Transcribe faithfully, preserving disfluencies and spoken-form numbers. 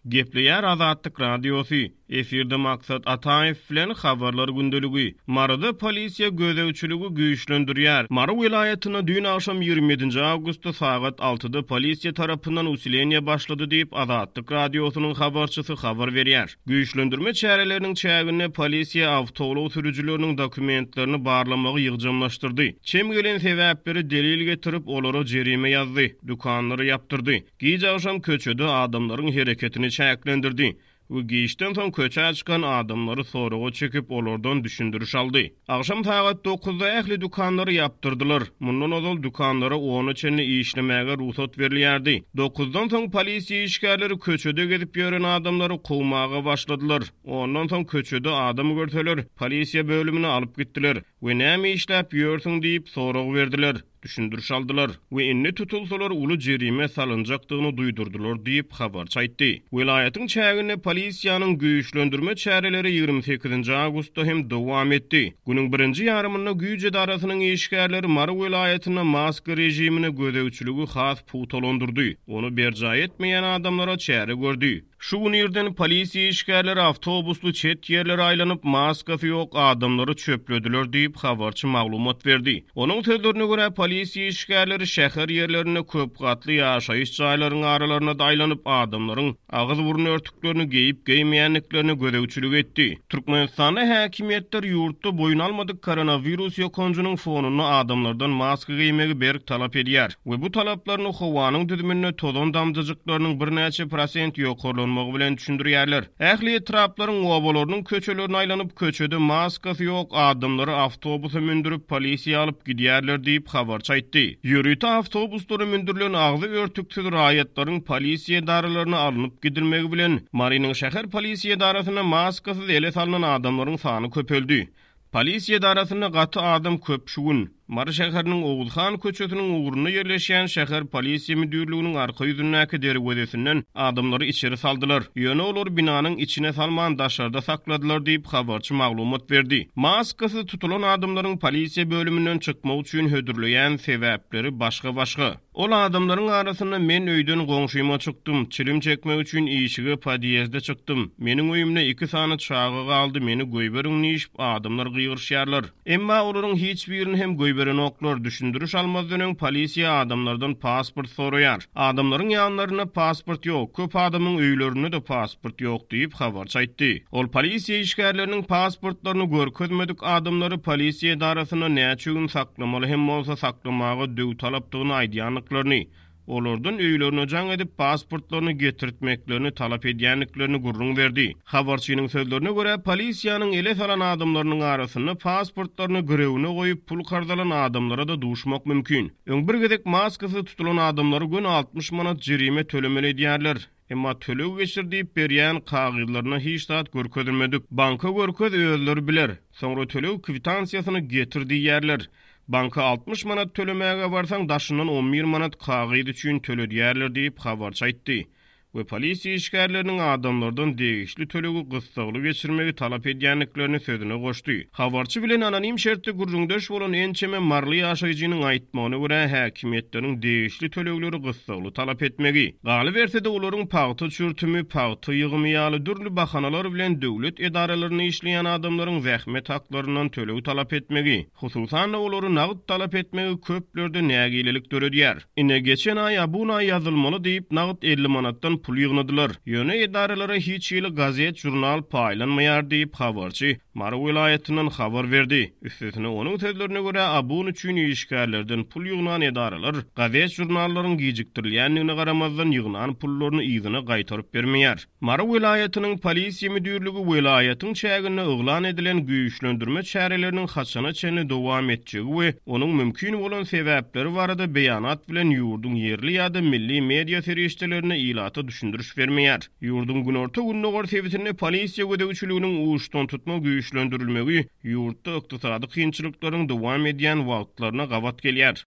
Gepleýär Azatlyk Radiosy, efirde Maksat Ataýew bilen Habarlar gündeligi. Maryda polisiýa gözegçiligi güýçlendirýär. Mary welaýatynda düýn agşam ýigrimi ýedinji awgustda sagat altyda polisiýa tarapyndan usileniýe başlady diýip, Azatlyk Radiosynyň habarçysy habar berýär. Güýçlendirme çäreleriniň çäginde polisiýa awtoulag sürüjileriniň dokumentlerini barlamagy ýygjamlaşdyrdy. Çem gelen sebäpleri delil getirip, olara jerime ýazdy, dükanlary ýapdyrdy. Gije agşam köçede adamlaryň hereketini çäklendirdi we giçden soň köçä çykan adamlary soraga çekip, olardan düşündiriş aldy. Agşam sagat dokuzda ähli dükanlary ýapdyrdylar. Mundan ozal dükanlara ona çenli işlemäge rugsat berilýärdi. Dokuzdan soň polisiýa işgärleri köçede gezip ýören adamlary kowmaga başladylar. Ondan soň köçede adam görseler, polisiýa bölümine alyp gitdiler we näme işläp ýörsüň diýip sorag berdiler. Düşündiriş aldylar we indi tutulsalar uly jerime salynjakdygyny duýdurdylar diýip habarçy aýtdy. Welaýatyň çäginde polisiýanyň güýçlendirme çäreleri ýigrimi sekizinji awgustda hem dowam etdi. Günüň birinji ýarymynda güýç edarasynyň işgärleri Mary welaýatynda maska režimine gözegçiligi has pugtalandyrdy. Ony berjaý etmeýän adamlara çäre gördi. Şu gün irden polisiýa işgärleri awtobusly çet ýerlere aýlanyp, maskasy ýok adamlary çöplediler diýip, habarçy maglumat berdi. Onuň sözlerine görä, polisiýa işgärleri şäher ýerlerinde köp gatly ýaşaýyş jaýlaryň aralaryna da aýlanyp, adamlaryň agyz-burun örtüklerini geýip-geýmeýändiklerine gözegçilik etdi. Türkmenistanda häkimiýetler ýurtda boýun almadyk koronawirus ýokanjynyň fonunda adamlardan maska geýmegi berk talap edýär we bu talaplaryny howanyň düzüminde tozan damjajyklarynyň birnäçe prosent ýokarlanmagy bilen düşündirýärler. Ähli etraplaryň obalarynyň köçelerine aýlanyp, köçede maskasy ýok adamlary awtobusa mündürip, polisiýa alyp gidýärler diýip habarçy aýtdy. Ýörite awtobuslara mündürilen agzy örtüksiz raýatlaryň polisiýa edaralaryna alnyp gidilmegi bilen Marynyň şäher polisiýa edarasynda maskasyz ele salynan adamlaryň sany köpeldi. Polisiýa edarasynda gaty adam köp şu gün. Mary şäheriniň Oguzhan köçesiniň ugrunda ýerleşýän şäher polisiýa müdirliginiň arka ýüzündäki derwezesinden adamlary içeri saldylar. Ýöne olar binanyň içine salman daşarda sakladylar diýip habarçy maglumat berdi. Maskasyz tutulan adamlaryň polisiýa bölüminden çykmak üçin hödürleýän sebäpleri başga-başga. Ol adamlaryň arasynda men öýden goňşyma çykdym, çilim çekmek üçin işige podýezde çykdym. Meniň öýümde iki sany çaga galdy, meni goýberiň diýip adamlar gygyryşýarlar. Emma olaryň hiç birini hem goýberenoklar. Düşündiriş almazdan öň polisiýa adamlardan pasport soraýar. Adamlaryň ýanlarynda pasport ýok, köp adamyň öýlerinde-de pasport ýok diýip habarçy aýtdy. Ol polisiýa işgärleriniň pasportlaryny görkezmedik adamlary polisiýa edarasynda näçe gün saklamaly hem bolsa saklamaga döw talapdygyny aýdýandyklaryny, olardan öýlerine jaň edip pasportlaryny getirtmeklerini talap edýändiklerini gürrüň berdi. Habarçynyň sözlerine görä, polisiýanyň ele salan adamlarynyň arasynda pasportlaryny girewine goýup pul karz alan adamlara da duşmak mümkin. Öň bir gezek maskasyz tutulan adamlary gün altmyş manat jerime tölemeli edýärler. Emma töleg geçir diýip berýän kagyzlaryna hiç zat görkezilmedik. Banka görkez özleri biler. Soňra töleg kwitansiýasyny getir diýýärler. Banka altmyş manat tölemäge barsaň daşyndan on bir manat kagyz üçin töledýärler diýip habarçy aýtdy. We polisiýa işgärleriniň adamlardan degişli tölegi gyssagly geçirmegi talap edýändiklerini sözüne goşdy. Habarçy bilen anonim şertde gürrüňdeş bolan ençeme maryly ýaşaýjynyň aýtmagyna görä häkimiýetleriň degişli tölegleri gyssagly talap etmegi, galyberse-de olaryň pagta çürtümi, pagta ýygymy ýaly dürli bahanalar bilen döwlet edaralarynda işleýän adamlaryň zähmet haklaryndan töleg talap etmegi, hususan-da olary nagt talap etmegi köplerde nägilelik döredýär. Ine geçen aý abuna ýazylmaly diýip nagt elli manatdan pul ýygnadylar. Ýöne edaralara hiç hili gazet, jurnal paýlanmaýar diýip habarçy Mary welaýatyndan habar berdi. Üstesine onuň sözlerine görä abun üçin işgärlerden pul ýygnan edaralar gazet jurnallaryň gijikdirilýändigine garamazdan ýygnan pullaryny yzyna gaýtaryp bermeýär. Mary welaýatynyň polisiýa müdirligi welaýatyň çäginde yglan edilen güýçlendirme çäreleriniň haçana çenli dowam etjegi we onuň mümkin bolan sebäpleri barada beýanat bilen ýurduň ýerli ýa-da milli media serişdelerine ilata düşündiriş bermeýär. Ýurduň günorta-gündogar sebitinde polisiýa gözegçiliginiň uçdan tutma güýçlendirilmegi ýurtda ykdysady kynçylyklaryň dowam edýän wagtlaryna gabat gelýär.